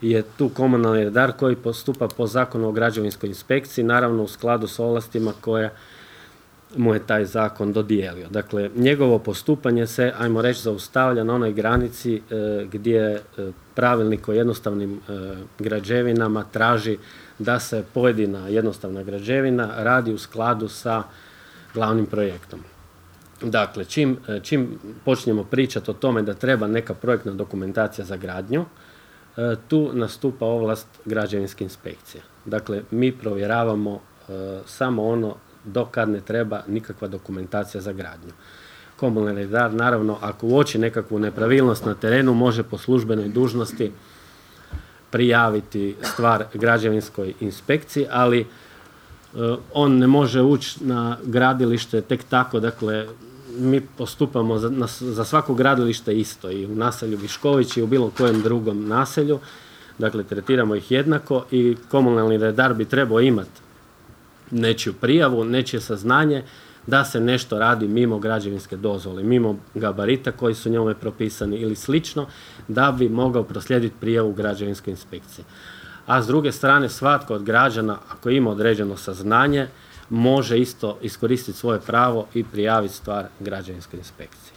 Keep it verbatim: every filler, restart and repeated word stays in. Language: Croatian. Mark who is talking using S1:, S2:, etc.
S1: je tu komunalni redar koji postupa po Zakonu o građevinskoj inspekciji, naravno u skladu s ovlastima koje mu je taj zakon dodijelio. Dakle, njegovo postupanje se, ajmo reći, zaustavlja na onoj granici e, gdje e, pravilnik o jednostavnim e, građevinama traži da se pojedina jednostavna građevina radi u skladu sa glavnim projektom. Dakle, čim, čim počnemo pričati o tome da treba neka projektna dokumentacija za gradnju, e, tu nastupa ovlast građevinske inspekcije. Dakle, mi provjeravamo e, samo ono do kad ne treba nikakva dokumentacija za gradnju. Komunalni redar, naravno, ako uoči nekakvu nepravilnost na terenu, može po službenoj dužnosti prijaviti stvar građevinskoj inspekciji, ali e, on ne može ući na gradilište tek tako. Dakle, mi postupamo za, na, za svako gradilište isto, i u naselju Višković i u bilo kojem drugom naselju. Dakle, tretiramo ih jednako i komunalni redar bi trebao imati nečiju prijavu, nečije saznanje da se nešto radi mimo građevinske dozvole, mimo gabarita koji su njome propisani ili slično, da bi mogao proslijediti prijavu građevinskoj inspekciji. A s druge strane, svatko od građana, ako ima određeno saznanje, može isto iskoristiti svoje pravo i prijaviti stvar građevinskoj inspekciji.